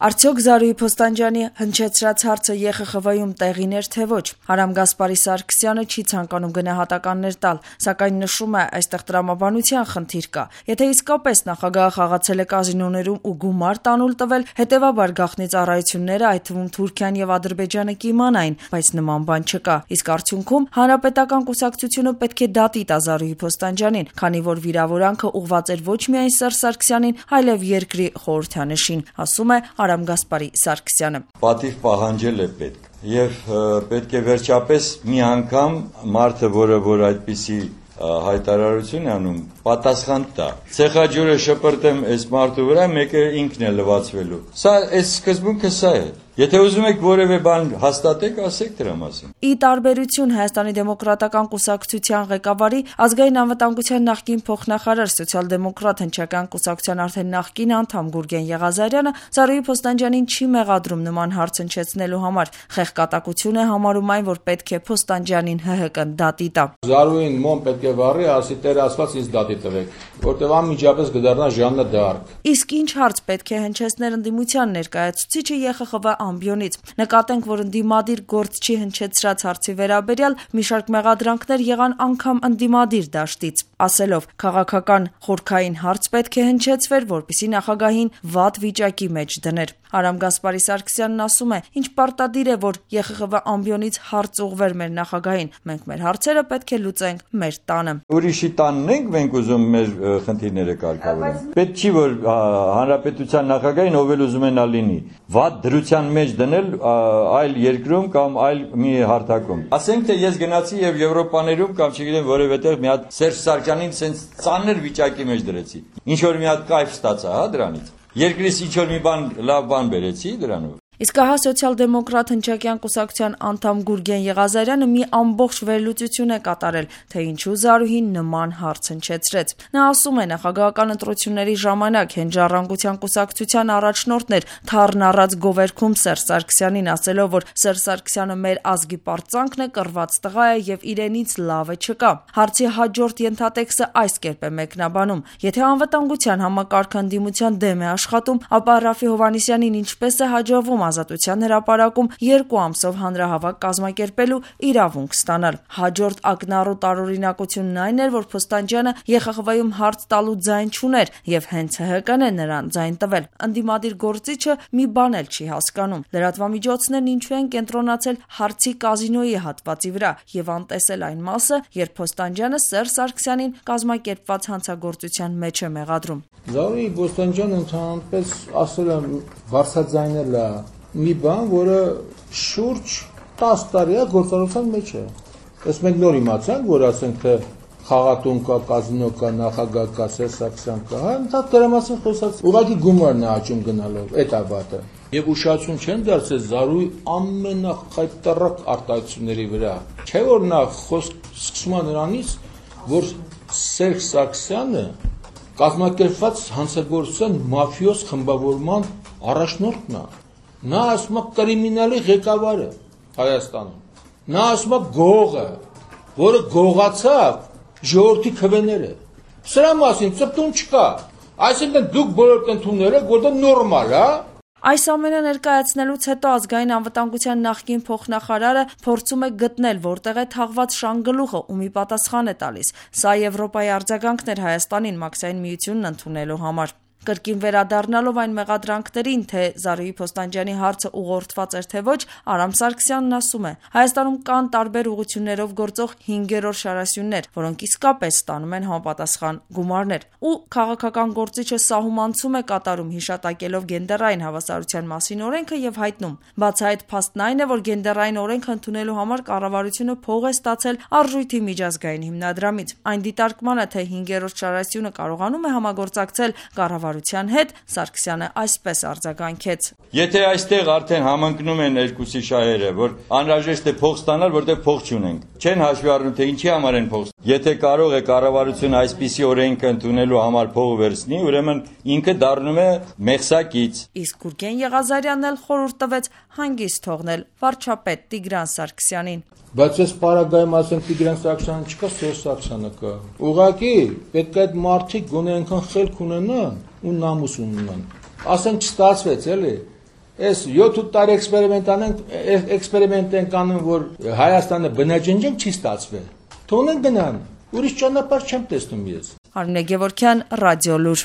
Արդյոք Զարուհի Փոստանջյանի հնչեցրած հարցը ԵԽԽՎ-ում տեղին էր թե ոչ։ Արամ Գասպարի Սարգսյանը չի ցանկանում գնահատականներ տալ, սակայն նշում է, այստեղ տրամաբանության խնդիր կա։ Եթե իսկապես նախագահը խաղացել է կազինոներում ու գումար տանուլ տվել, հետևաբար գաղտնի ծառայությունները, այդ թվում Թուրքիան եւ Ադրբեջանը կիմանային, բայց նման բան չկա։ Իսկ արդյունքում Հանրապետական կուսակցությունը պետք է դատի տա Զարուհի Փոստանջյանին, քանի որ վիրավորանքը ուղղված էր ոչ միայն Սերժ Սարգսյանին, այլև երկրի խորհրդանշին, ասում է Արամ Գասպարի Սարգսյանը։ Պատիվ պահանջել է պետք եւ պետք է վերջապես մի անգամ մարդը, որ այդպիսի հայտարարություն է անում, պատասխան տա։ Ցեխաջուրը շպրտեմ այս մարդու վրա, մեկը ինքն է լվացվելու։ Սա այս սկզբունքը սա է։ Եթե ուզում եք որևէ բան հաստատեք, ասեք դրա մասին։ Ի տարբերություն Հայաստանի դեմոկրատական կուսակցության ղեկավարի, ազգային անվտանգության նախկին փոխնախարար սոցիալ-դեմոկրատ հնչական կուսակցության արդեն նախկին անդամ Գուրգեն Եղազարյանը Զարուհի Փոստանջյանին չի մեղադրում նման հարց հնչեցնելու համար։ Խեղկատակություն է համարում այն, որ պետք է Փոստանջյանին ՀՀԿ-ն դատի տա։ Զարուհին մոմ պետք է վառի, ասի Տեր Աստված ինձ դատի տվեք, որտեղ անմիջապես կդառնա Ժաննա դ'Արկ։ Իսկ ինչ հարց պետք է հնչեցնել ընդդիմության ներկայացուցիչը ԵԽԽՎ ամբիոնից։ Նկատենք, որ ընդդիմադիր գործչի հնչեցրած հարցի վերաբերյալ մի շարք մեղադրանքներ եղան անգամ ընդդիմադիր դաշտից, ասելով քաղաքական խորքային հարց պետք է հնչեցվեր, որպեսզի նախագահին վատ վիճակի մեջ դներ։ Արամ Գասպարի Սարգսյանն ասում է, ինչ պարտադիր է, որ ԵԽԽՎ ամբիոնից հարց ուղղվեր մեր նախագահին։ Մենք մեր հարցերը պետք է լուծենք մեր տանը։ Ուրիշի տանն ենք մենք ուզում մեր խնդիրները կարգավորենք։ Պետք չի, որ հանրապետության նախագահին ով էլ ուզում է նա լինի, վատ դրության մեջ դնել այլ երկրում կամ այլ մի հարթակում։ Ասենք թե ես գնացի եւ Եվրոպաներում կամ չգիտեմ որևէ տեղ մի հատ Սերժ Սարգսյանին սենց ծանր վիճակի մեջ դրեցի։ Ինչ որ մի հատ կայֆ ստացա, հա, դրանից։ Երկրից ինչ որ մի բան լավ բան բերեցի դրանով։ Իսկ ահա սոցիալ-դեմոկրատ հնչակյան կուսակցության անդամ Գուրգեն Եղազարյանը մի ամբողջ վերլուծություն է կատարել, թե ինչու Զարուհին նման հարց հնչեցրեց։ Նա ասում է, նախագահական ընտրությունների ժամանակ հենց Ժառանգության կուսակցության առաջնորդն էր թառն առած գովերքում Սերժ Սարգսյանին, ասելով, որ Սերժ Սարգսյանը մեր ազգի պարծանքն է, կռված տղա է եւ իրենից լավը չկա։ Հարցի հաջորդ ենթատեքստը այս կերպ է մեկնաբանում. եթե անվտանգության համակարգը ընդդիմության դեմ է աշխատում, ապա Ռաֆի Հովհաննիսյանին ինչպես է հաջողվում Ազատության հրապարակում 2 ամսով հանրահավաք կազմակերպելու իրավունք ստանալ։ Հաջորդ ակնառու տարօրինակությունն այն էր, որ Փոստանջյանը ԵԽԽՎ-ում հարց տալու ձայն չուներ եւ հենց ՀՀԿ-ն է նրան ձայն տվել։ Ընդդիմադիր գործիչը մի բան էլ չի հասկանում։ Լրատվամիջոցներն ինչու են կենտրոնացել հարցի կազինոյի հատվածի վրա եւ անտեսել այն մասը, երբ Փոստանջյանը Սերժ Սարգսյանին կազմակերպված հանցագործության մեջ է մեղադրում։ Զարուհի Փոստանջյանը ընդհանրապես ասել է վարսաձայնել է մի բան, որը շուրջ 10 տարի է գործառույթության մեջ է։ Ըստ մենք նոր իմացանք, որ ասենք թե խաղատուն կա, կազինո կա, նախագահ կա, Սերժ Սարգսյան կա, հա, դա դրա մասին խոսած։ Ուղղակի գումարն է աճում գնալով, այդ է վատը։ Եվ ուշադրություն չեն դարձել Զարուհի ամենախայտառակ արտահայտությունների վրա։ Չէ՞ որ նա խոսք սկսում է նրանից, որ Սերժ Սարգսյանը կազմակերպված հանցագործության մաֆիոզ խմբավորման առաջնորդն է։ Նա ասում է կրիմինալի ղեկավարը Հայաստանում։ Նա ասում է գողը, որը գողացավ ժողովրդի քվեները։ Սրա մասին ծպտուն չկա։ Այսինքն դուք բոլոր կընդունները, որ դա նորմալ է։ Այս ամենը ներկայացնելուց հետո ազգային անվտանգության նախկին փոխնախարարը փորձում է գտնել, որտեղ է թաղված շանգլուխը, ումի պատասխան է տալիս։ Սա Եվրոպայի արձագանքն էր Հայաստանին մաքսային միությունն ընդունելու համար։ Կրկին վերադառնալով այն մեղադրանքներին, թե Զարուհի Փոստանջյանի հարցը ուղղորդված էր թե ոչ, Արամ Սարգսյանն ասում է. Հայաստանում կան տարբեր ուղղություններով գործող 5-րդ շարասյուններ, որոնք իսկապես ստանում են համապատասխան գումարներ։ Ու քաղաքական գործիչը սահմանցում է կատարում հիշատակելով գենդերային հավասարության մասին օրենքը եւ հայտնում. բացահայտ փաստն այն է, որ գենդերային օրենքը ընդունելու համար կառավարությունը փող է ստացել Արժույթի միջազգային հիմնադրամից։ Այն դիտարկմանը, թե 5-րդ շարասյունը կարողանում է համագործակցել կառավարության հետ, Սարգսյանը այսպես արձագանքեց. Եթե այստեղ արդեն համընկնում են երկուսի շահերը, որ անհրաժեշտ է փող ստանալ, որտեղ փող չունենք, չեն հաշվի առնում, թե ինչի համար են փող։ Եթե կարող է կառավարությունը այսպիսի օրենքը ընդունելու համար փող վերցնի, ուրեմն ինքը դառնում է մեղսակից։ Իսկ Գուրգեն Եղազարյանն էլ խորհուրդ տվեց հանգիստ թողնել վարչապետ Տիգրան Սարգսյանին։ Բայց այս պարագայում ասենք Տիգրան Սարգսյանը չկա, Սերժ Սարգսյանը կա։ Ուղղակի պետք է այդ մարդիկ գոնե այնքան խելք ունենան ու նամուս ունենան։ Ասենք չստացվեց, էլի։ Այս 7 տարի էքսպերիմենտ են կանում, որ Հայաստանը բնաջնջեն չի ստացվել։ Թողնեն գնան։ Ուրիշ ճանապարհ չեմ տեսնում ես։ Արմինե Գևորգյան, Ռադիոլուր։